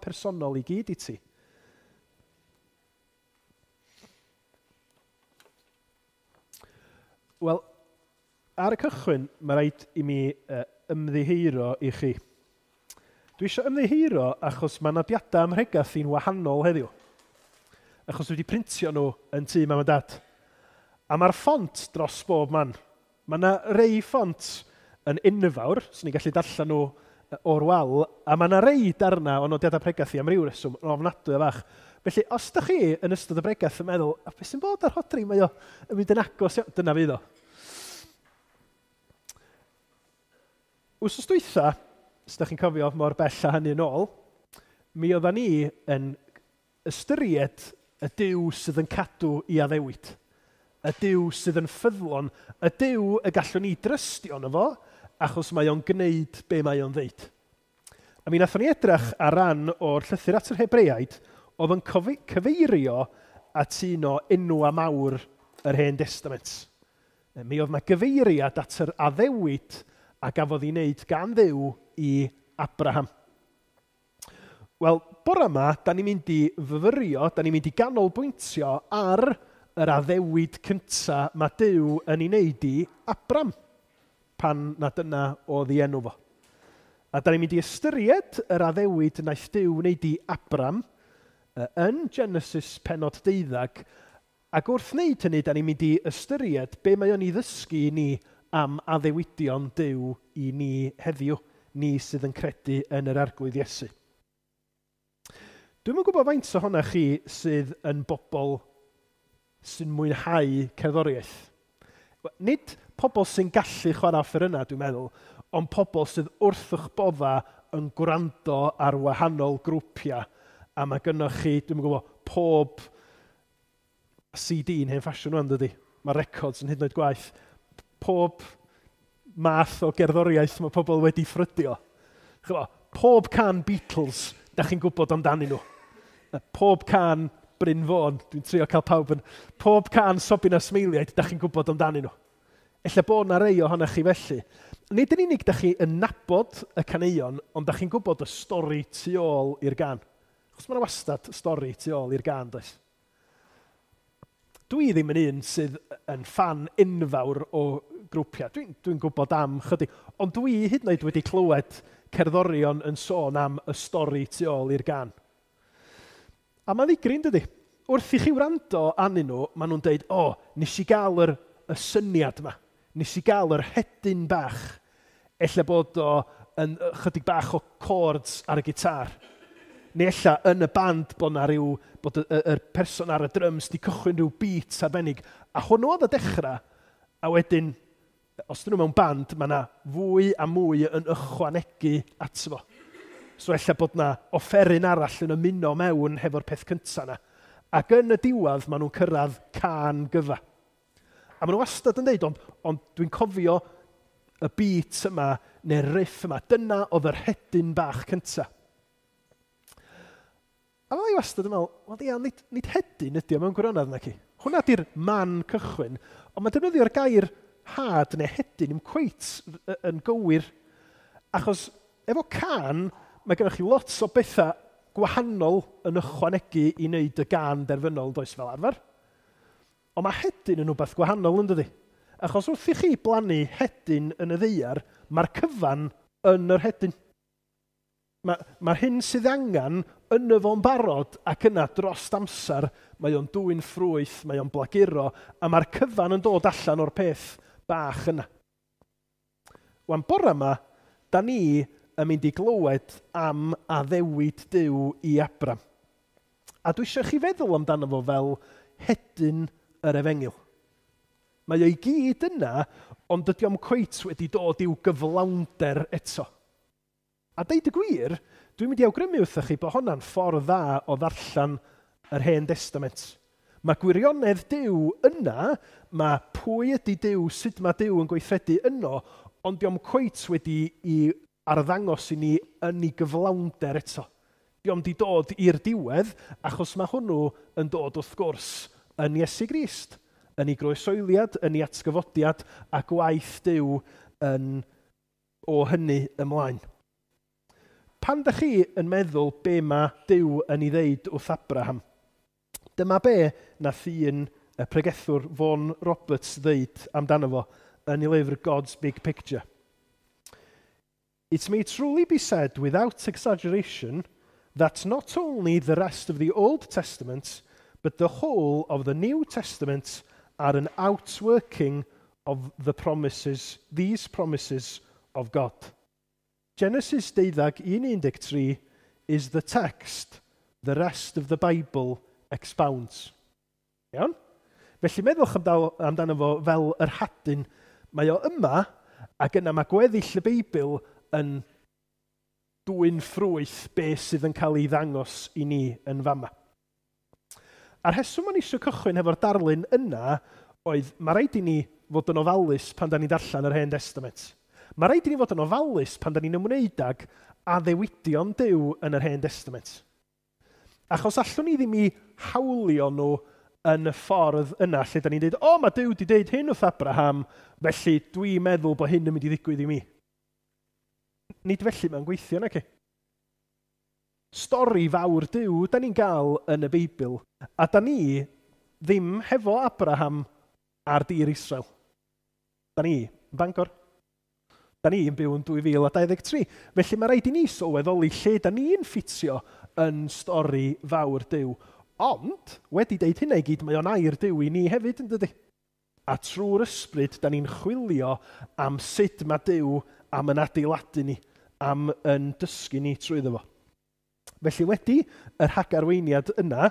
Personol i gyd i ti. Wel, ar y cychwyn, mae rhaid i mi ymddiheuro i chi. Dwi eisiau ymddiheuro achos mae nodiadau ym mhregath i'n wahanol heddiw. Achos dwi wedi printio nhw yn tŷ mam a dad. A mae'r ffont dros bob man. Mae yna rei ffont yn enfawr, so ni'n gallu darllen nhw o'r wal, a mae yna rei darna o nodiadau pregath i am ryw reswm, yn ofnadwy o fach. Felly, os ydych chi yn ystod y bregath yn meddwl, a beth sy'n bod ar Rhodri, mae o yn mynd yn agos iawn, dyna fydd o. Wsos dwytha, os ydych chi'n cofio mor bell â hynny yn ôl, mi oeddan ni yn ystyried y Duw sydd yn cadw i addewid. Y Duw sydd yn ffyddlon, y Duw y gallwn ni drystio yno fo, achos mae o'n gwneud be mae o'n ddeud. A mi wnaethon ni edrych ar ran o'r llythyr at yr Hebreaid oedd yn cyfeirio at un o enwa mawr yr Hen Destament. Mi oedd yna gyfeiriad at yr addewid a gafodd ei wneud gan Dduw i Abraham. Wel, bore yma, da ni'n mynd i fyfyrio, da ni'n mynd i ganolbwyntio ar yr addewid cynta mae Duw yn ei wneud i Abram, pan na dyna oedd ei enw fo. A da ni'n mynd i ystyried yr addewid wnaeth Duw wneud i Abram yn Genesis pennod 12, ac wrth wneud hynny, da ni'n mynd i ystyried be mae o'n ei ddysgu i ni am addewidion Duw i ni heddiw, ni sydd yn credu yn yr Arglwydd Iesu. Dwi'm yn gwybod faint ohonoch chi sydd yn bobl sy'n mwynhau cerddoriaeth. Nid pobl sy'n gallu chwarae offerynnau, dwi'n meddwl, ond pobl sydd wrth eich bodda yn gwrando ar wahanol grwpiau. A mae gynnoch chi, dwi'm yn gwybod, pob CD yn hen ffasiwn rwan, dydy. Mae records yn hyd yn oed gwaeth. Pob math o gerddoriaeth mae pobl wedi ffrydio. Ch'mo, pob can Beatles, da chi'n gwybod amdanyn nhw. Pob can Bryn Fôn, dwi'n trio cael pawb yn... Pob can Sobin a Smeiliaid, da chi'n gwybod amdanyn nhw. Ella bod na rei ohonoch chi felly. Nid yn unig da chi yn nabod y caneuon, ond da chi'n gwybod y stori tu ôl i'r gan. Achos mae yna wastad stori tu ôl i'r gan, does? Dwi ddim yn un sydd yn ffan enfawr o grwpiau. Dwi'n gwybod am chydig, ond dwi hyd yn oed wedi clywed cerddorion yn sôn am y stori tu ôl i'r gan. A mae'n ddigri, dydy? Wrth i chi wrando arnyn nhw, maen nhw'n deud, o, nes i gael y syniad yma. Nes i gael yr hedyn bach. Ella bod o yn chydig bach o chords ar y gitar. Neu ella yn y band bod na ryw, bod yr person ar y drums di cychwyn rhyw beat arbennig. A hwnnw oedd y dechrau, a wedyn, os dyn nhw mewn band, mae yna fwy a mwy yn ychwanegu ato fo. So ella bod na offeryn arall yn ymuno mewn hefo'r peth cynta yna. Ac yn y diwedd, maen nhw'n cyrraedd can gyfa. A maen nhw wastad yn deud, ond dwi'n cofio y beat yma, neu'r riff yma. Dyna oedd yr hedyn bach cynta. A fydda i wastad yn meddwl, wel ia, nid hedyn ydi o mewn gwirionedd naci. Hwna di'r man cychwyn, ond mae defnyddio'r gair had neu hedyn ddim cweit yn gywir, achos efo can, mae gennych chi lot o bethau gwahanol yn ychwanegu i wneud y gan derfynol, does fel arfer. Ond mae hedyn yn rhywbeth gwahanol, yn dydi? Achos wrth i chi blannu hedyn yn y ddaear, mae'r cyfan yn yr hedyn. Mae'r hyn sydd angen yn y fo'n barod ac yna dros amser mae o'n dwyn ffrwyth, mae o'n blaguro, a mae'r cyfan yn dod allan o'r peth bach yna. Wan bore yma, da ni yn mynd i glywed am addewid Duw i Abram. A dwi eisiau chi feddwl amdano fo fel hedyn yr efengyl. Mae o i gyd yna, ond dydy o'm cweit wedi dod i'w gyflawnder eto. A deud y gwir, dwi'n mynd i awgrymu wrthych chi bod honna'n ffordd dda o ddarllen yr Hen Testament. Mae gwirionedd Duw yna, mae pwy ydy Duw, sut mae Duw yn gweithredu yno, ond dio'm cweit wedi i arddangos i ni yn ei gyflawnder eto. Dio'm di dod i'r diwedd, achos mae hwnnw yn dod wrth gwrs yn Iesu Grist, yn ei groesoeliad, yn ei atgyfodiad a gwaith Duw yn o hynny ymlaen. Pan da chi yn meddwl be mae Duw yn ei ddeud wrth Abraham, dyma be nath un y pregethwr Vaughan Roberts ddeud amdano fo yn ei lyfr God's Big Picture. "It may truly be said without exaggeration that not only the rest of the Old Testament, but the whole of the New Testament are an outworking of the promises, these promises of God. Genesis 12:1-13 is the text the rest of the Bible expounds." Iawn? Felly meddwch amdano fo fel yr hadyn. Mae o yma, ac yna mae gweddill y Beibl yn dwyn ffrwyth be sydd yn cael ei ddangos i ni yn fama. A'r rheswm o'n eisiau cychwyn hefo'r darlun yna oedd mae rhaid i ni fod yn ofalus pan da ni'n darllen yr Hen Testament. Mae rhaid i ni fod yn ofalus pan da ni'n ymwneud ag addewidion Duw yn yr Hen Testament. Achos allwn ni ddim i hawlio nhw yn y ffordd yna lle da ni'n dweud, "O, mae Duw wedi dweud hyn wrth Abraham, felly dwi'n meddwl bod hyn yn mynd i ddigwydd i mi." Nid felly mae'n gweithio, naci? Stori fawr Duw da ni'n gael yn y Beibl, a da ni ddim hefo Abraham ar dir Israel. Da ni yn Bangor. Da ni yn byw yn 2023. Felly mae rhaid i ni sylweddoli lle da ni'n ffitio yn stori fawr Duw. Ond, wedi deud hynna i gyd, mae o'n air Duw i ni hefyd, yn dydy? A trwy'r ysbryd, da ni'n chwilio am sut mae Duw am yn adeiladu ni, am yn dysgu ni trwyddo fo. Felly wedi yr rhagarweiniad yna,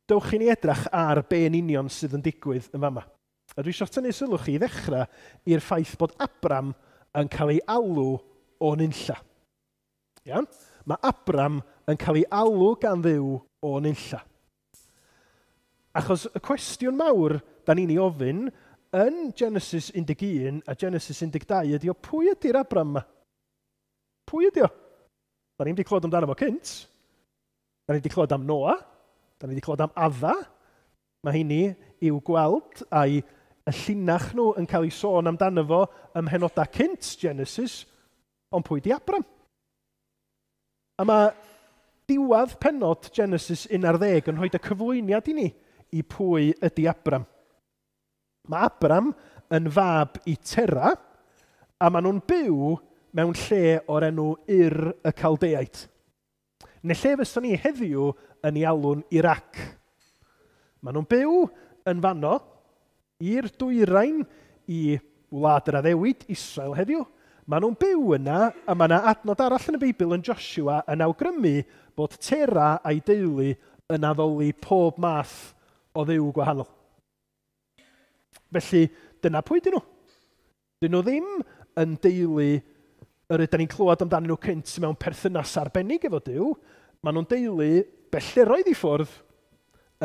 dewch i ni edrach ar be yn union sydd yn digwydd yn fama. A dwi eisiau tynnu sylw chi i ddechrau i'r ffaith bod Abram yn cael ei alw o nunlla. Iawn? Mae Abram yn cael ei alw gan Dduw o nunlla. Achos y cwestiwn mawr da ni'n ei ofyn yn Genesis 11 a Genesis 12 ydy o, pwy ydy'r Abram yma? Pwy ydy o? Da ni'n wedi clywed amdano fo cynt. Da ni wedi clywed am Noa. Da ni wedi clywed am Adda. Mae hynny i'w gweld a'i y llinach nhw yn cael ei sôn amdano fo ym mhenodau cynt Genesis, ond pwy di Abram? A mae diwedd penod Genesis 11 yn rhoi y cyflwyniad i ni i pwy ydy Abram. Mae Abram yn fab i Tera, a maen nhw'n byw mewn lle o'r enw Ur y Caldeaid. Neu lle fyswn ni heddiw yn ei alw'n Iraq. Maen nhw'n byw yn fanno i'r dwyrain i wlad yr addewid, Israel heddiw. Maen nhw'n byw yna, a mae yna adnod arall yn y Beibl yn Joshua yn awgrymu bod Tera a'i deulu yn addoli pob math o dduw gwahanol. Felly, dyna pwy dyn nhw. Dyn nhw ddim yn deulu yr ydyn ni'n clywed amdanyn nhw cynt mewn perthynas arbennig efo Duw. Maen nhw'n deulu belleroedd i ffwrdd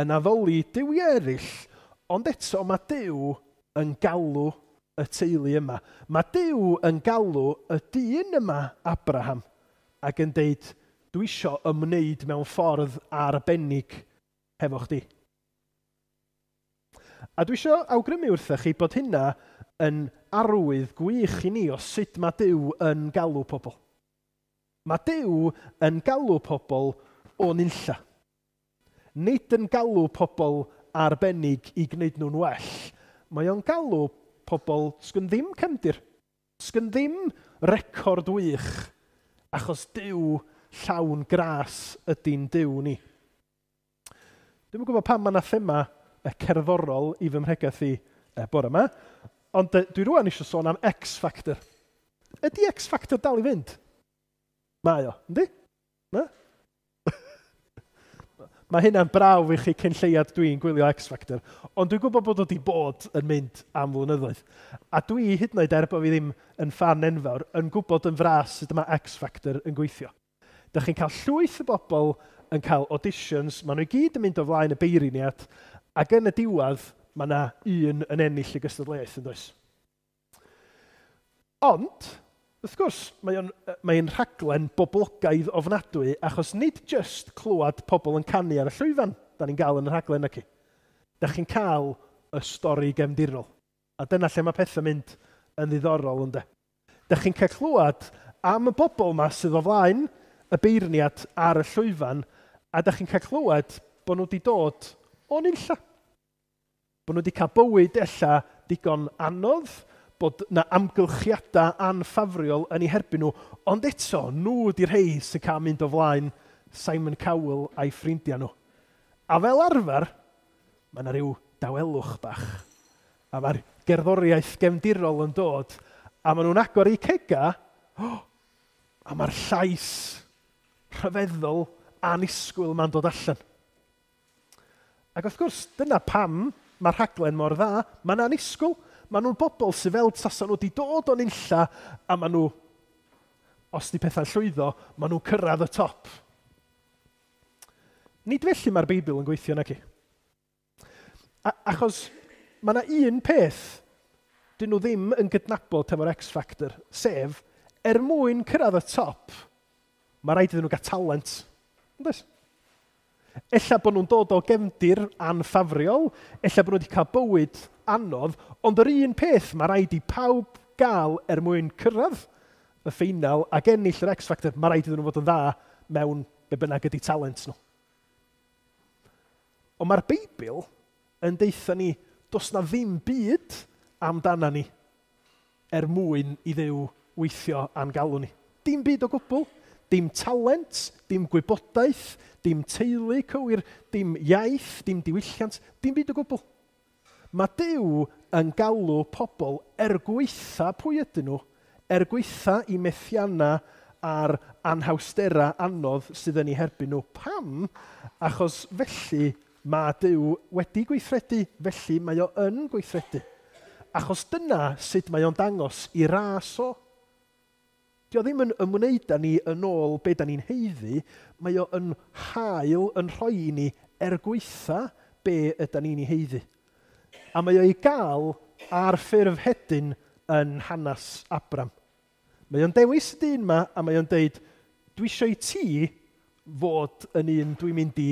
yn addoli duwiau eraill, ond eto mae Duw yn galw y teulu yma. Mae Duw yn galw y dyn yma, Abraham, ac yn deud, "Dwi isio ymwneud mewn ffordd arbennig hefo chdi." A dwi isio awgrymu wrthych chi bod hynna yn arwydd gwych i ni o sut mae Duw yn galw pobl. Mae Duw yn galw pobl o nunlla. Nid yn galw pobl arbennig i gwneud nhw'n well. Mae o'n galw pobl sgyn ddim cefndir, sgyn ddim record wych, achos Duw llawn gras ydy'n Duw ni. Dwi'm yn gwybod pam mae yna thema y cerddorol i fy mhregaeth i bore yma, ond dwi rwan eisiau sôn am X Factor. Ydy X Factor dal i fynd? Mae o, yndi? Na? Mae hynna'n brawf i chi cyn lleiad dwi'n gwylio X Factor, ond dwi'n gwybod bod o wedi bod yn mynd am flynyddoedd. A dwi, hyd yn oed er bod fi ddim yn ffan enfawr, yn gwybod yn fras sut mae X Factor yn gweithio. Dych chi'n cael llwyth o bobl yn cael auditions, maen nhw i gyd yn mynd o flaen y beirniad, ac yn y diwedd, mae yna un yn ennill y gystadleuaeth, yn does? Ond, wrth gwrs, mae'n rhaglen boblogaidd ofnadwy, achos nid just clywed pobl yn canu ar y llwyfan da ni'n gael yn y rhaglen ac. Da chi'n cael y stori gefndirol. A dyna lle mae pethau mynd yn ddiddorol, ynddo. Da chi'n cael clywed am y bobl yma sydd o flaen y beirniad ar y llwyfan, a da chi'n cael clywed bod nhw wedi dod o nunlla. Bod nhw wedi cael bywyd ella digon anodd, bod na amgylchiadau anffafriol yn eu herbyn nhw, ond eto, nhw ydy'r rhei sy'n cael mynd o flaen Simon Cowell a'i ffrindiau nhw. A fel arfer, mae yna rhyw dawelwch bach. A mae'r gerddoriaeth gefndirol yn dod, a maen nhw'n agor eu cega, a mae'r llais rhyfeddol annisgwyl ma'n dod allan. Ac wrth gwrs, dyna pam mae'r rhaglen mor dda. Mae'n annisgwyl. Maen nhw'n bobl sydd fel tasa nhw wedi dod o'n unlla, a maen nhw, os di pethau'n llwyddo, maen nhw'n cyrraedd y top. Nid felly mae'r Beibl yn gweithio, naci. Achos mae yna un peth dyn nhw ddim yn gydnabod efo'r X Factor, sef, er mwyn cyrraedd y top, mae rhaid iddyn nhw gael talent. Yndoes? Ella bod nhw'n dod o gefndir anffafriol, ella bod nhw wedi cael bywyd anodd, ond yr un peth mae rhaid i pawb gael er mwyn cyrraedd y ffeinal ac ennill yr X Factor, mae rhaid iddyn nhw fod yn dda mewn be bynnag ydy talent nhw. Ond mae'r Beibl yn deutha ni, does na ddim byd amdana ni er mwyn i Dduw weithio a'n galw ni. Dim byd o gwbl, dim talent, dim gwybodaeth, dim teulu cywir, dim iaith, dim diwylliant, dim byd o gwbl. Mae Duw yn galw pobl er gwaetha pwy ydyn nhw, er gwaetha i methianna a'r anhawsterau anodd sydd yn eu herbyn nhw. Pam? Achos felly mae Duw wedi gweithredu, felly mae o yn gweithredu. Achos dyna sut mae o'n dangos i ras o. Dio ddim yn ymwneud â ni yn ôl be da ni'n haeddu, mae o yn hael yn rhoi i ni er gwaetha be yda ni'n ei haeddu. A mae o i gael ar ffurf hedyn yn hanes Abram. Mae o'n dewis y dyn yma a mae o'n deud, dwi eisiau i ti fod yn un dwi'n mynd i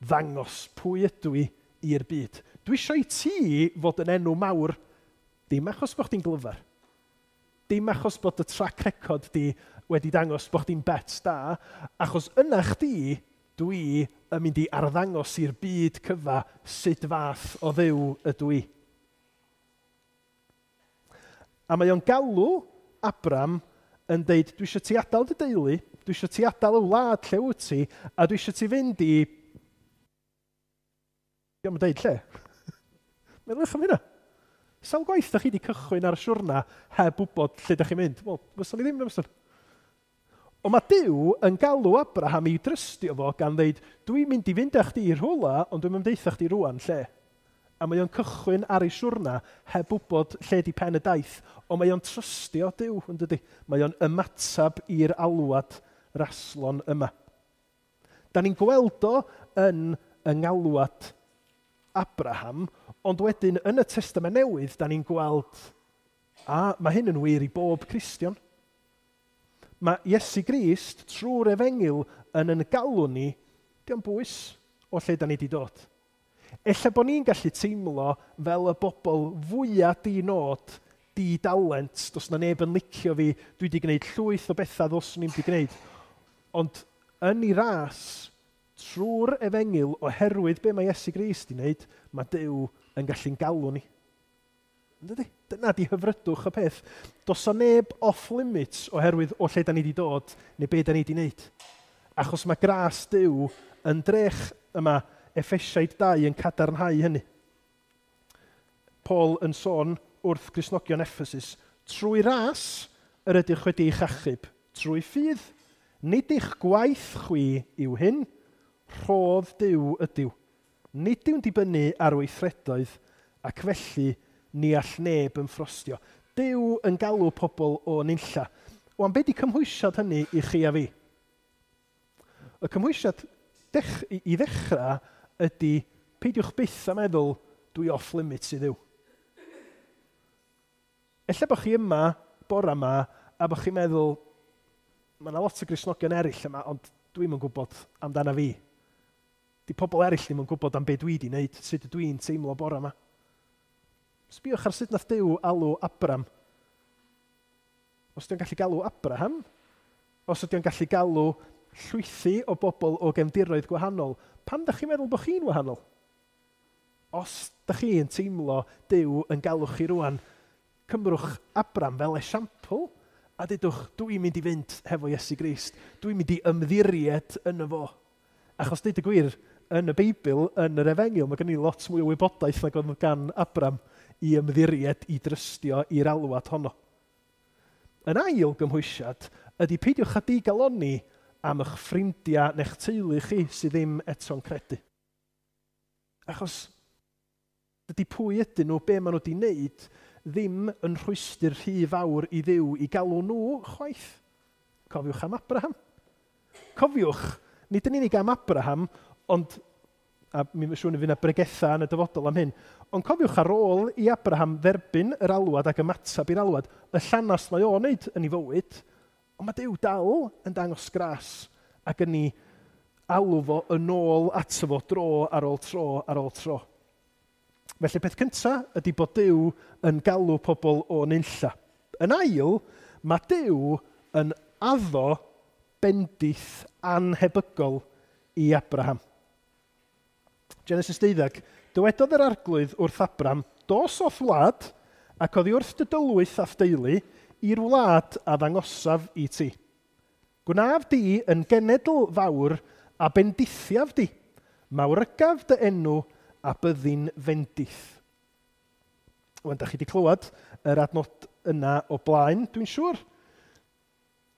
ddangos pwy ydw i i'r byd. Dwi eisiau i ti fod yn enw mawr, dim achos bod chdi'n glyfar, dim achos bod y track record di wedi dangos bod chdi'n bet da, achos yna chdi, dwi yn mynd i arddangos i'r byd cyfa sut fath o Dduw ydw i. A mae o'n galw Abram yn deud, dwi eisiau ti adael dy deulu, dwi eisiau ti adael y wlad lle wyt ti, a dwi eisiau ti fynd i... Dio'm yn deud lle. Meddyliwch am hynna. Sawl gwaith da chi wedi cychwyn ar y siwrna heb wybod lle da chi'n mynd? Wel, fyswn i ddim yn fyswn. Ond mae Duw yn galw Abraham i drystio fo gan ddeud, dwi'n mynd i fynd â chdi i rhywle, ond dwi'n mynd deutha chdi rŵan lle. A mae o'n cychwyn ar ei siwrna heb wybod lle di pen y daith, ond mae o'n trystio Duw, yn dydi? Mae o'n ymatab i'r alwad raslon yma. Da ni'n gweld o yn yng ngalwad Abraham, ond wedyn yn y Testament Newydd, da ni'n gweld, a mae hyn yn wir i bob Cristion. Mae Iesu Grist trwy'r efengyl yn galw ni, dio'm bwys o lle da ni wedi dod. Ella bod ni'n gallu teimlo fel y bobl fwyaf di-nod, di-dalent, does na neb yn licio fi, dwi wedi gwneud llwyth o bethau ddylswn i'm wedi gwneud. Ond yn ei ras, trwy'r efengyl, oherwydd be mae Iesu Grist wedi wneud, mae Duw yn gallu'n galw ni. Yndydi? Dyna di hyfrydwch y peth. Does na neb off limits oherwydd o lle da ni wedi dod neu be da ni wedi wneud. Achos mae gras Duw yn drech yma, Effesiaid 2 yn cadarnhau hynny. Paul yn sôn wrth Gristnogion Ephesus, trwy ras yr ydych wedi eich achub, trwy ffydd, nid eich gwaith chwi yw hyn, rhodd Duw ydyw. Nid yw'n dibynnu ar weithredoedd, ac felly ni all neb yn ffrostio. Duw yn galw pobl o nunlla. Wan, be di cymhwysiad hynny i chi a fi? Y cymhwysiad i ddechrau ydy peidiwch byth a meddwl dwi off limits i Dduw. Ella bod chi yma, bora yma, a bod chi'n meddwl, mae yna lot o Gristnogion eraill yma, ond dwi'm yn gwybod amdana fi. Di pobl eraill ddim yn gwybod am be dwi wedi wneud, sut ydw i'n teimlo bora yma. Sbïwch ar sut nath Duw alw Abram. Os ydy o'n gallu galw Abraham, os ydy o'n gallu galw llwythi o bobl o gefndiroedd gwahanol, pam da chi'n meddwl bod chi'n wahanol? Os da chi'n teimlo Duw yn galw chi rwan, cymrwch Abram fel esiampl a dudwch, dwi'n mynd i fynd hefo Iesu Grist, dwi'n mynd i ymddiried yn y fo. Achos deud y gwir, yn y Beibl, yn yr Efengyl, mae gen i lot mwy o wybodaeth nag oedd gan Abram i ymddiried, i drystio i'r alwad honno. Yn ail gymhwysiad ydy peidiwch â digalonni am eich ffrindiau neu'ch teulu chi sydd ddim eto'n credu. Achos dydy pwy ydyn nhw, be maen nhw wedi wneud, ddim yn rhwystr rhy fawr i Dduw i galw nhw chwaith. Cofiwch am Abraham. Cofiwch, nid yn unig am Abraham, ond, a mi'n siŵr na fydd yna bregetha yn y dyfodol am hyn, ond cofiwch ar ôl i Abraham dderbyn yr alwad ac ymateb i'r alwad, y llanast mae o'n wneud yn ei fywyd, ond mae Duw dal yn dangos gras ac yn ei alw fo yn ôl ato fo dro ar ôl tro ar ôl tro. Felly peth cyntaf ydy bod Duw yn galw pobl o nunlla. Yn ail, mae Duw yn addo bendith anhebygol i Abraham. Genesis 12, dywedodd yr arglwydd wrth Abram, dos o'th wlad ac oddi wrth dy dylwyth a'th deulu i'r wlad a ddangosaf i ti. Gwnaf di yn genedl fawr a bendithiaf di. Mawrygaf dy enw a byddi'n fendith. Wan, da chi wedi clywed yr adnod yna o blaen, dwi'n siŵr.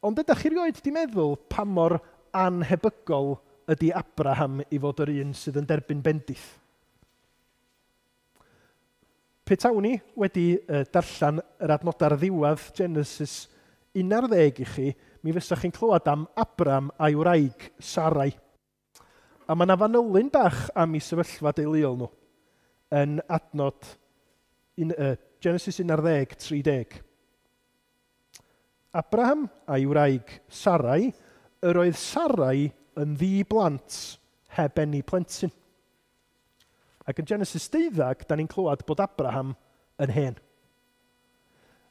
Ond ydych chi rioed di meddwl pa mor anhebygol ydy Abraham i fod yr un sydd yn derbyn bendith? Petawn ni wedi darllen yr adnod ar ddiwedd Genesis 11 i chi, mi fysach chi'n clywed am Abram a'i wraig Sarai. A mae yna fanylyn bach am ei sefyllfa deuluol nhw yn adnod Genesis 11, 30. Abraham a'i wraig Sarai, yr oedd Sarai yn ddi-blant heb eni plentyn. Ac yn Genesis 12, da ni'n clywed bod Abraham yn hen.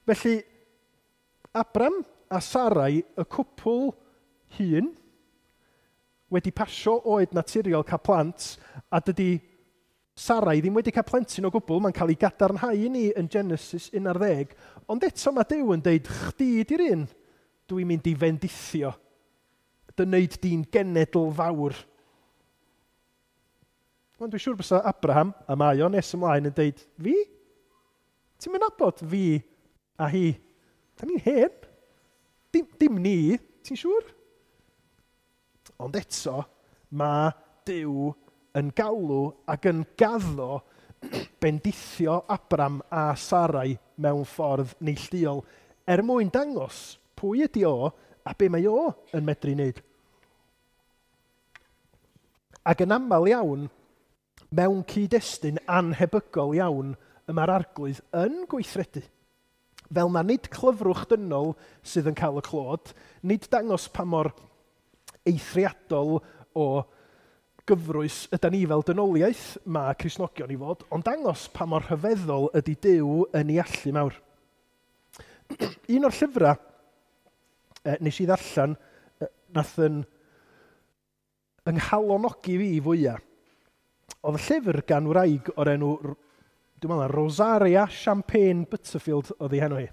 Felly, Abram a Sarai, y cwpl hŷn, wedi pasio oed naturiol cael plant, a dydy Sarai ddim wedi cael plentyn o gwbl, mae'n cael ei gadarnhau i ni yn Genesis 11, ond eto mae Duw yn deud, chdi di'r un, dwi'n mynd i fendithio, dy wneud di'n genedl fawr. Wel, dwi'n siŵr bysa Abraham, a mae o nes ymlaen yn deud, fi? Ti'n mynd nabod fi a hi? Da ni'n hen. Dim ni, ti'n siŵr? Ond eto, mae Duw yn galw ac yn gaddo bendithio Abram a Sarai mewn ffordd neilltuol er mwyn dangos pwy ydy o a be mae o yn medru wneud. Ac yn aml iawn, mewn cyd-destun anhebygol iawn, y mae'r arglwydd yn gweithredu. Fel na nid clyfrwch dynol sydd yn cael y clod, nid dangos pa mor eithriadol o gyfrwys yda ni fel dynoliaeth mae Cristnogion i fod, ond dangos pa mor rhyfeddol ydy Duw yn ei allu mawr. Un o'r llyfrau nes i ddarllen, nath yn yng-nghalonogi fi fwyaf, oedd y llyfr gan wraig o'r enw, dwi'n meddwl, Rosaria Champagne Butterfield oedd ei henw hi.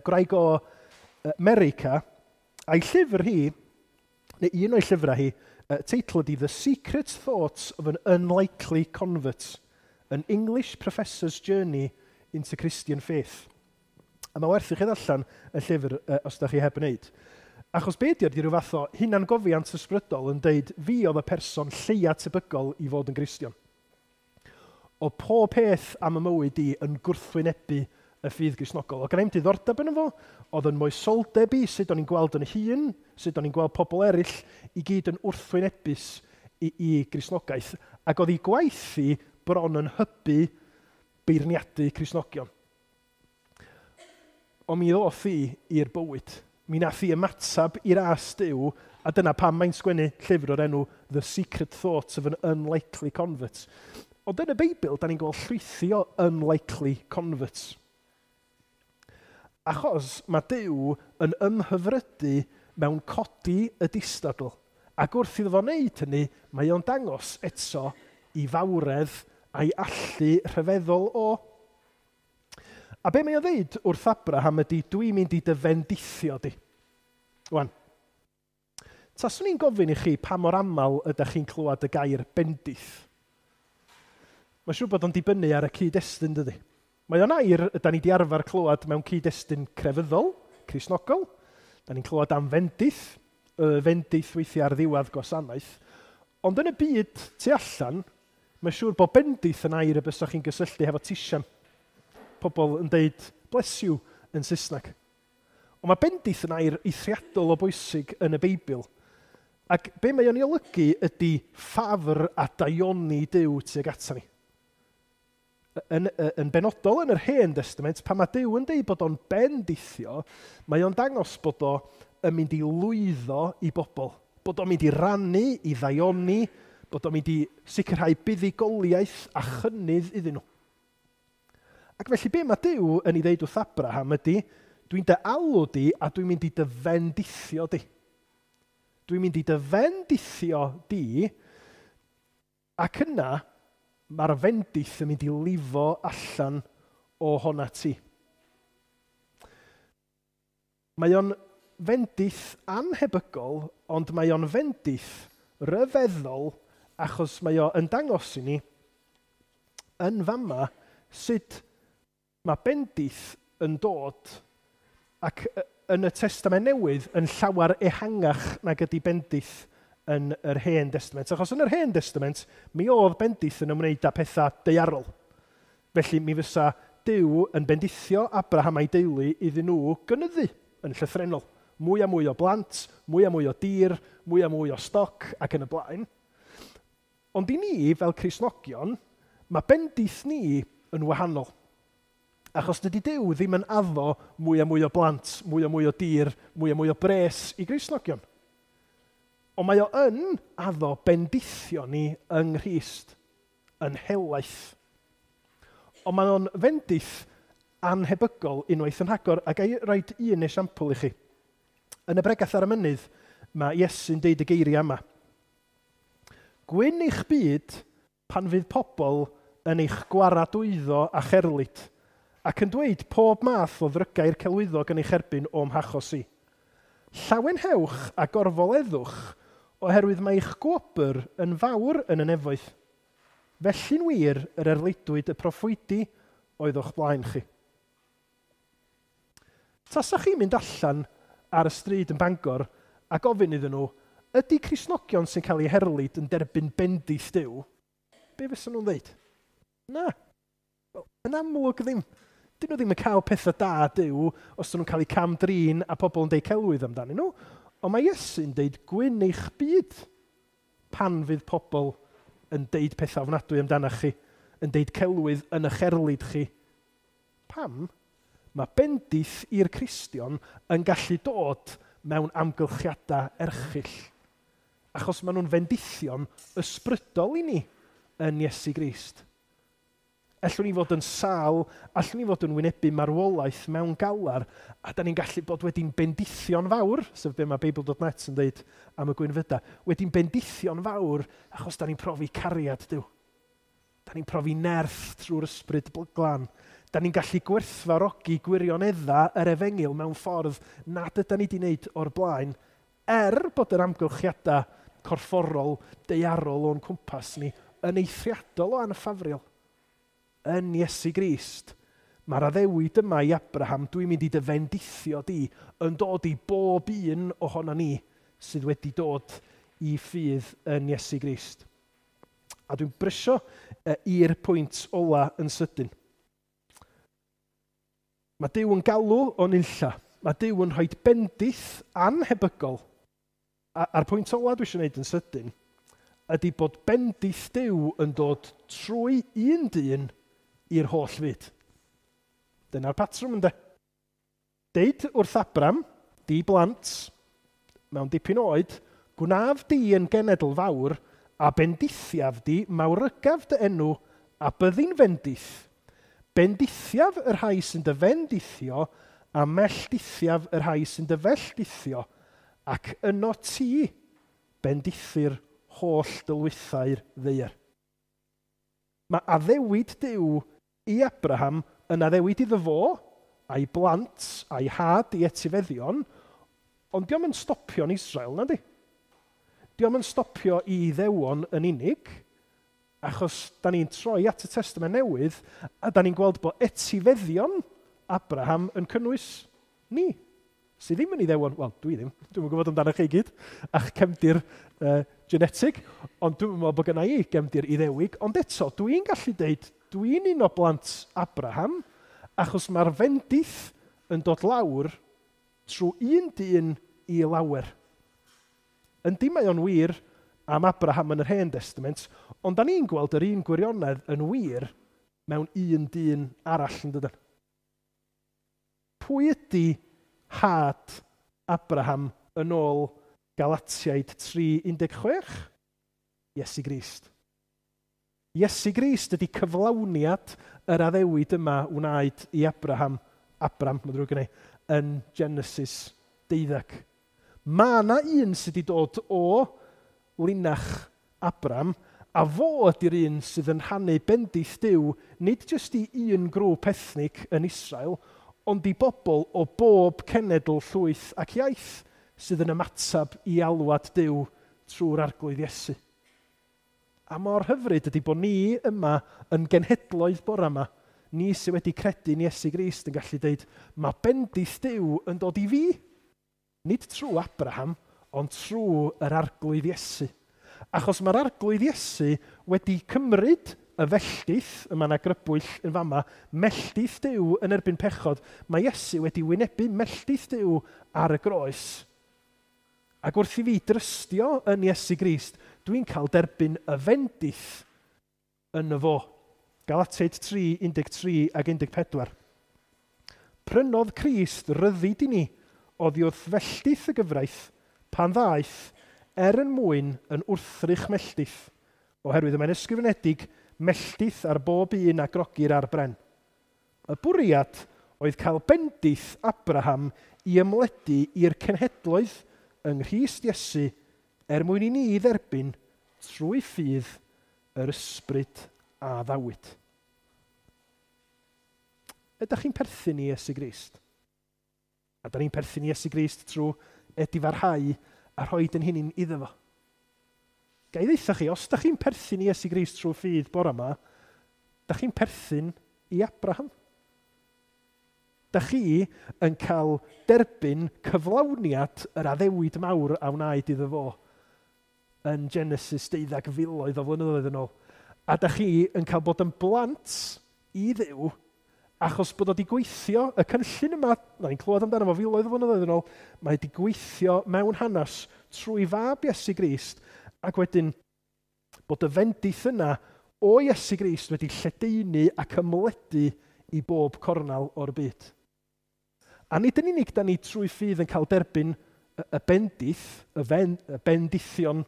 Gwraig o America, a'i llyfr hi, neu un o'i llyfrau hi, teitl ydy The Secret Thoughts of an Unlikely Convert, an English Professor's Journey into Christian Faith. A mae werth i chi ddarllen y llyfr os da chi heb wneud. Achos be ydy rhyw fath o hunangofiant ysbrydol yn deud fi oedd y person lleia tebygol i fod yn Gristion. O pob peth am y mywyd i yn gwrthwynebu y ffydd Gristnogol. Oedd gen i'm diddordeb yn fo, oedd yn moesoldeb i, sut o'n i'n gweld yn hun, sut o'n i'n gweld pobl eraill, i gyd yn wrthwynebus i Gristnogaeth. Ac oedd ei gwaith i bron yn hybu beirniadu Cristnogion. Ond mi ddoth i i'r bywyd. Mi nath i ymateb i'r ras Duw, a dyna pam mae'n sgwennu llyfr o'r enw The Secret Thoughts of an Unlikely Convert. Ond yn y Beibl, da ni'n gweld llwythi o unlikely converts. Achos mae Duw yn ymhyfrydu mewn codi y distadl. Ac wrth iddo fo wneud hynny, mae o'n dangos eto i fawredd a'i allu rhyfeddol o. A be mae o'n ddeud wrth Abraham ydy, dwi'n mynd i dy fendithio di. Wan, taswn i'n gofyn i chi pa mor aml ydych chi'n clywed y gair bendith. Mae'n siŵr bod o'n dibynnu ar y cyd-destun, dydy. Mae o'n air ydan ni 'di arfer clywed mewn cyd-destun crefyddol, Cristnogol. Da ni'n clywed am fendith, y fendith weithiau ar ddiwedd gwasanaeth. Ond yn y byd tu allan, mae'n siŵr bod bendith yn air y bysach chi'n gysylltu hefo tisian. Pobl yn deud bless you yn Saesneg. Ond mae bendith yn air eithriadol o bwysig yn y Beibl. Ac be mae o'n ei olygu ydy ffafr a daioni Duw tuag ata ni. Yn benodol yn yr Hen Testament, pan mae Duw yn deud bod o'n bendithio, mae o'n dangos bod o yn mynd i lwyddo i bobl. Bod o'n mynd i rannu, i ddaioni, bod o'n mynd i sicrhau buddugoliaeth a chynnydd iddyn nhw. Ac felly be mae Duw yn ei ddeud wrth Abraham ydy, dwi'n dy alw di a dwi'n mynd i dy fendithio di. Dwi'n mynd i dy fendithio di, ac yna mae'r fendith yn mynd i lifo allan o hona ti. Mae o'n fendith anhebygol, ond mae o'n fendith ryfeddol, achos mae o yn dangos i ni yn fama sut mae bendith yn dod ac yn y Testament Newydd yn llawer ehangach nag ydy bendith yn yr Hen Testament. Achos yn yr Hen Testament, mi oedd bendith yn ymwneud â pethau daearol. Felly mi fysa Duw yn bendithio Abraham a'i deulu iddyn nhw gynyddu yn llythrennol. Mwy a mwy o blant, mwy a mwy o dir, mwy a mwy o stoc ac yn y blaen. Ond i ni, fel Cristnogion, mae bendith ni yn wahanol. Achos dydy Duw ddim yn addo mwy a mwy o blant, mwy a mwy o dir, mwy a mwy o bres i Gristnogion. Ond mae o yn addo bendithio ni yng Nghrist, yn helaeth. Ond mae o'n fendith anhebygol unwaith yn rhagor, a ga i roid un esiampl i chi. Yn y bregath ar y mynydd, mae Iesu'n deud y geiriau yma. Gwyn eich byd pan fydd pobl yn eich gwaradwyddo a cherlid, ac yn dweud pob math o ddrygau'r celwyddog yn eich erbyn o'm hachos i. Llawenhewch a gorfoleddwch, oherwydd mae eich gwobr yn fawr yn y nefoedd. Felly'n wir yr erlidwyd y proffwydi oedd o'ch blaen chi. Tasach chi'n mynd allan ar y stryd yn Bangor a gofyn iddyn nhw, ydy Cristnogion sy'n cael eu herlid yn derbyn bendith Duw? Be fysa nhw'n dweud? Na, yn amlwg ddim. Dyn nhw ddim yn cael pethau da Duw os dyn nhw'n cael eu cam-drin a pobl yn deud celwydd amdanyn nhw. Ond mae Iesu'n deud gwyn eich byd pan fydd pobl yn deud pethau ofnadwy amdanach chi, yn deud celwydd yn eich erlid chi. Pam? Mae bendith i'r Cristion yn gallu dod mewn amgylchiadau erchyll. Achos maen nhw'n fendithion ysbrydol i ni yn Iesu Grist. Allwn ni fod yn sâl, allwn ni fod yn wynebu marwolaeth mewn galar, a da ni'n gallu bod wedi'n bendithio'n fawr, sef be mae Beibl.net yn dweud am y gwynfyda, wedi'n bendithio'n fawr achos da ni'n profi cariad Duw. Da ni'n profi nerth trwy'r ysbryd glân. Da ni'n gallu gwerthfawrogi gwirioneddau yr efengyl mewn ffordd nad yda ni wedi wneud o'r blaen, bod yr amgylchiadau corfforol, daearol o'n cwmpas ni yn eithriadol o anffafriol. Yn Iesu Grist, mae'r addewid yma i Abraham, dwi'n mynd i dy fendithio di, yn dod i bob un ohono ni sydd wedi dod i ffydd yn Iesu Grist. A dwi'n brysio i'r pwynt ola yn sydyn. Mae Duw yn galw o'n unlla. Mae Duw yn rhoi bendith anhebygol. A'r pwynt ola dwi eisiau gwneud yn sydyn ydy bod bendith Duw yn dod trwy un dyn i'r holl fyd. Dyna'r patrwm ynde. Deud wrth Abram, di blant, mewn dipyn oed, gwnaf di yn genedl fawr, a bendithiaf di, mawrygaf dy enw, a byddi'n fendith. Bendithiaf y rhai sy'n dy fendithio, a melldithiaf y rhai sy'n dy felldithio, ac yno ti bendithir holl dylwythau'r ddaear. Mae addewid Duw i Abraham yn addewid iddo fo, a'i blant, a'i had i etifeddion, ond dio'm yn stopio yn Israel, nadi? Dio'm yn stopio i Iddewon yn unig, achos da ni'n troi at y Testament Newydd, a da ni'n gweld bod etifeddion Abraham yn cynnwys ni, sydd ddim yn Iddewon. Wel, dwi ddim. Dwi'm yn gwybod amdano chi gyd, a'ch cefndir genetig, ond dwi'n meddwl bod gynna i gefndir Iddewig. Ond eto, dwi'n gallu deud, dwi'n un o blant Abraham, achos mae'r fendith yn dod lawr trwy un dyn i lawer. Yndi, mae o'n wir am Abraham yn yr Hen Testament, ond da ni'n gweld yr un gwirionedd yn wir mewn un dyn arall, yn dydyn? Pwy ydy had Abraham yn ôl Galatiaid 3:16? Iesu Grist. Iesu Grist ydy cyflawniad yr addewid yma wnaed i Abraham, Abram, mae'n ddrwg gen i, yn Genesis 12. Mae yna un sydd wedi dod o linach Abram, a fo ydy'r un sydd yn rhannu bendith Duw, nid jyst i un grŵp ethnig yn Israel, ond i bobl o bob cenedl, llwyth ac iaith sydd yn ymateb i alwad Duw trwy'r Arglwydd Iesu. A mor hyfryd ydy bod ni yma yn genhedloedd bore yma, ni sydd wedi credu yn Iesu Grist yn gallu dweud, mae bendith Duw yn dod i fi. Nid trwy Abraham, ond trwy yr Arglwydd Iesu. Achos mae'r Arglwydd Iesu wedi cymryd y felldith, yma yna grybwyll yn fama, melldith Duw yn erbyn pechod. Mae Iesu wedi wynebu melldith Duw ar y groes. Ac wrth i fi drystio yn Iesu Grist, dwi'n cael derbyn y fendith yn y fo. Galatiaid 3, 13 ac 14. Prynodd Crist ryddid i ni oddi wrth felldith y gyfraith pan ddaeth er yn mwyn yn wrthrych melldith, oherwydd y mae'n ysgrifenedig melldith ar bob un a grogir ar bren. Y bwriad oedd cael bendith Abraham i ymledu i'r cenhedloedd yng Nghrist Iesu er mwyn i ni dderbyn trwy ffydd yr ysbryd a addawyd. Ydych chi'n perthyn i Iesu Grist? A da ni'n perthyn i Iesu Grist trwy edifarhau a rhoi ein hunain iddo fo. Ga i ddeutha chi, os da chi'n perthyn i Iesu Grist trwy ffydd bore yma, da chi'n perthyn i Abraham. Da chi yn cael derbyn cyflawniad yr addewid mawr a wnaed iddo fo yn Genesis 12 filoedd o flynyddoedd yn ôl. A da chi yn cael bod yn blant i Dduw achos bod o wedi gweithio, y cynllun yma, na ni'n clywed amdano fo filoedd o flynyddoedd yn ôl, mae wedi gweithio mewn hanes trwy fab Iesu Grist, ac wedyn bod y fendith yna o Iesu Grist wedi lledaenu ac ymledu i bob cornel o'r byd. A nid yn unig da ni trwy ffydd yn cael derbyn y bendith, y bendithion,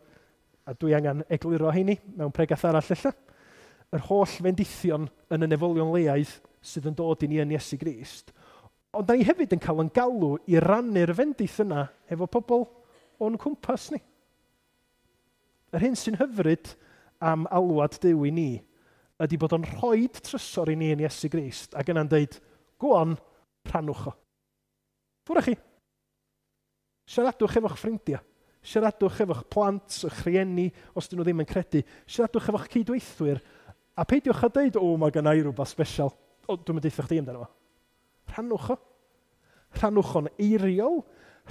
a dwi angen egluro heini mewn pregath arall ella, yr holl fendithion yn y nefolion leaidd sydd yn dod i ni yn Iesu Grist, ond da ni hefyd yn cael yn galw i rannu'r fendith yna efo pobl o'n cwmpas ni. Yr hyn sy'n hyfryd am alwad Duw i ni ydy bod o'n rhoi trysor i ni yn Iesu Grist ac yna'n deud, go on, rhannwch o. Ffwrdd chi. Siaradwch efo'ch ffrindiau. Siaradwch efo'ch plant, eich rhieni, os dyn nhw ddim yn credu. Siaradwch efo'ch cydweithwyr. A peidiwch â deud, o, mae gynna i rhywbeth special. O, dwi'n mynd deutha chdi amdano fo. Rhannwch o. Rhannwch o'n eiriol.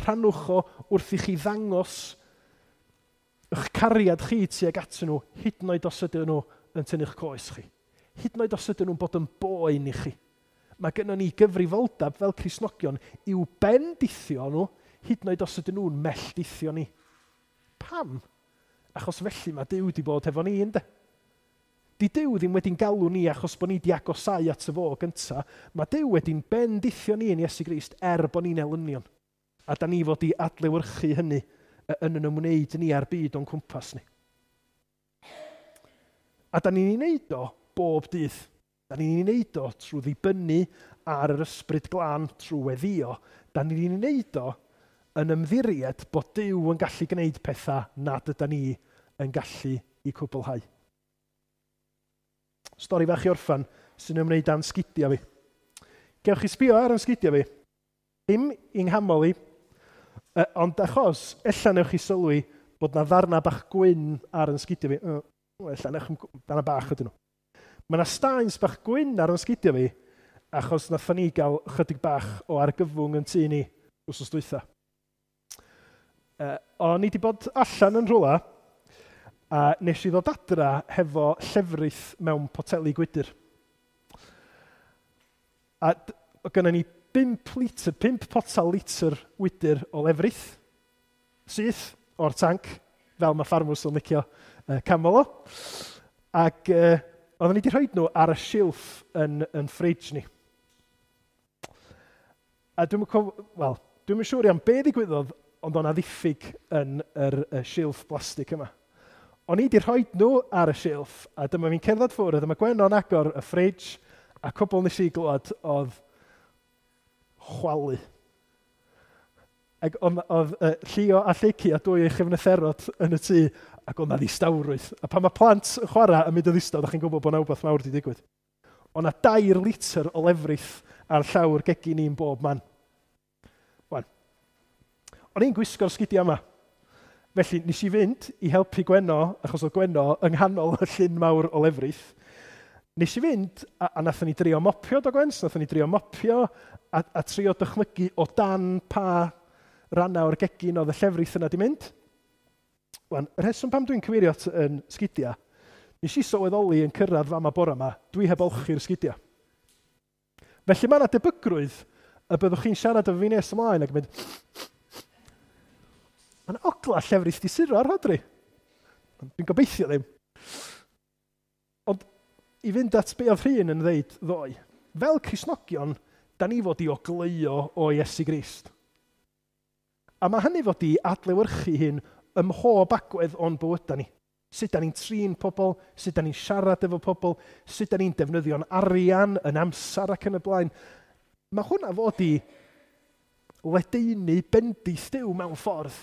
Rhannwch o wrth i chi ddangos eich cariad chi tuag atyn nhw, hyd yn oed os ydyn nhw yn tynnu'ch coes chi. Hyd yn oed os ydyn nhw'n bod yn boen i chi. Mae gynnon ni gyfrifoldeb fel Cristnogion i'w bendithio nhw, hyd yn oed os ydyn nhw'n melldithio ni. Pam? Achos felly mae Duw wedi bod efo ni, ynde? Di Duw ddim wedi'n galw ni achos bod ni wedi agosau at y fo gynta. Mae Duw wedi'n bendithio ni yn Iesu Grist er bod ni'n elynion. A da ni fod i adlewyrchu hynny yn yn ymwneud ni â'r byd o'n cwmpas ni. A da ni'n ei wneud o bob dydd. Da ni'n ei wneud o trwy ddibynnu ar yr ysbryd glân trwy weddio, da ni'n wneud o yn ymddiried bod Duw yn gallu gwneud pethau nad yda ni yn gallu i cwblhau. Stori fach i orffan sy'n ymwneud â'n sgidiau fi. Gewch chi sbio ar yn sgidiau fi. Dim i'n nghamol i, ond achos, ella newch chi sylwi bod na ddarna bach gwyn ar yn sgidiau fi. Ella newch darna bach ydyn nhw. Mae yna staens bach gwyn ar yn sgidiau fi, achos nathon ni gael chydig bach o argyfwng yn tŷ ni wsos dwytha. O'n i wedi bod allan yn rhywle, a nes i ddod adra hefo llefrith mewn poteli gwydr. A gynna ni 5 litr, 5 potel litr wydr o lefrith, syth o'r tanc, fel mae ffarmwrs yn licio camol o. Ac oedden ni wedi rhoi nhw ar y silff yn ffridge ni. A dwi'm yn siŵr iawn be ddigwyddodd, ond o'na ddiffyg yn yr silff blastig yma. O'n i wedi rhoi nhw ar y silff, a dyma fi'n cerdded ffwrdd, a dyma Gwenno'n agor y ffridge, a cwbl nes i glwad oedd chwalu. Ac oedd Llio a Lleucu a dwy ei chyfnitherod yn y tŷ, ac oedd 'na ddistawrwydd. A pan mae plant yn chwarae yn mynd yn ddistaw, ddech chi'n gwybod bod 'na wbath mawr wedi digwydd. Oedd 'na 3 litr o lefrith ar llawr gegin ni'n bob man. Wan, o'n i'n gwisgo'r sgidiau yma. Felly, nes i fynd i helpu Gwenno, achos oedd Gwenno yng nghanol y llyn mawr o lefrith. Nes i fynd, a nathon ni drio mopio, do Gwens? Nathon ni drio mopio a trio dychmygu o dan pa rannau o'r gegin oedd y llefrith yna di mynd. Wan, y rheswm pam dwi'n cyfeirio at yn sgidiau, nes i sylweddoli yn cyrraedd fama bore yma, dwi heb olchi'r sgidiau. Felly mae yna debygrwydd y byddwch chi'n siarad efo fi nes ymlaen ac yn mynd, mae yna ogla llefrith di suro ar Rhodri. Dwi'n gobeithio ddim. Ond i fynd at be oedd Rhun yn ddeud ddoe, fel Cristnogion, da ni fod i ogleuo o Iesu Grist. A mae hynny fod i adlewyrchu hyn ym mhob agwedd o'n bywydau ni. Sut da ni'n trin pobl, sut da ni'n siarad efo pobl, sut da ni'n defnyddio'n arian, yn amser ac yn y blaen. Mae hwnna fod i ledaenu bendith Duw mewn ffordd.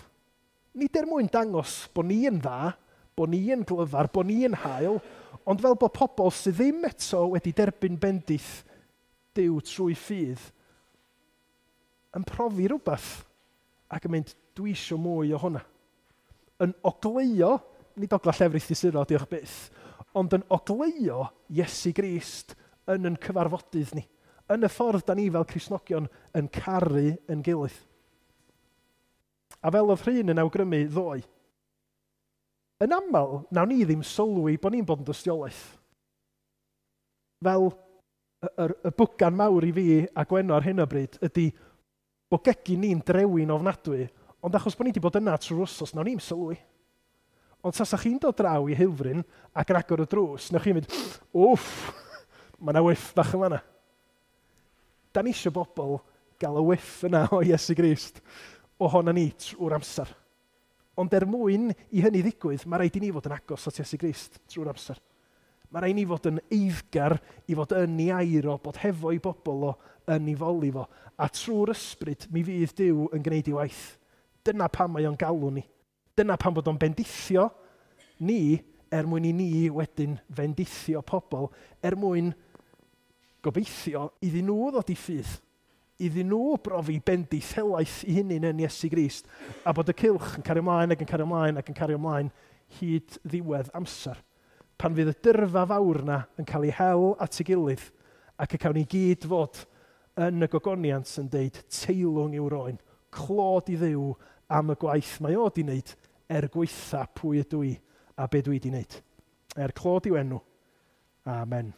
Nid er mwyn dangos bod ni yn dda, bod ni yn glyfar, bod ni yn hael, ond fel bod pobl sydd ddim eto wedi derbyn bendith Duw trwy ffydd yn profi rhywbeth ac yn mynd, dwi isio mwy o hwnna. Yn ogleuo, nid ogla llefrith di suro, diolch byth, ond yn ogleuo Iesu Grist yn cyfarfodydd ni, yn y ffordd da ni fel Cristnogion yn caru yn gilydd. A fel oedd Rhun yn awgrymu ddoe, yn aml, nawn ni ddim sylwi bod ni'n bod yn dystiolaeth. Fel y bwgan mawr i fi a Gwenno ar hyn o bryd ydy bod gegin ni'n drewi'n ofnadwy, ond achos bod ni wedi bod yna trwy'r wsos, nawn ni'm sylwi. Ond tasa chi'n dod draw i Heulfryn ac yn agor y drws, newch chi'n mynd, wff, mae yna whiff bach yn fan'na. Da ni eisiau bobl gael y whiff yna o Iesu Grist ohona ni trwy'r amser. Ond er mwyn i hynny ddigwydd, mae rhaid i ni fod yn agos at Iesu Grist trwy'r amser. Mae rhaid i ni fod yn eiddgar i fod yn ei air o, bod hefo'i bobl o, yn ei foli fo. A trwy'r ysbryd, mi fydd Duw yn gwneud ei waith. Dyna pam mae o'n galw ni. Dyna pam bod o'n bendithio ni er mwyn i ni wedyn fendithio pobl, er mwyn gobeithio iddyn nhw ddod i ffydd, iddyn nhw brofi bendith helaeth i hunain yn Iesu Grist, a bod y cylch yn cario ymlaen ac yn cario ymlaen ac yn cario ymlaen hyd ddiwedd amser. Pan fydd y dyrfa fawr yna yn cael ei hel at ei gilydd ac y cawn ni gyd fod yn y gogoniant yn deud teilwng yw'r oen, clod i Dduw am y gwaith mae o di wneud er gwaetha pwy ydw i a be dwi di wneud. Er clod i'w enw. Amen.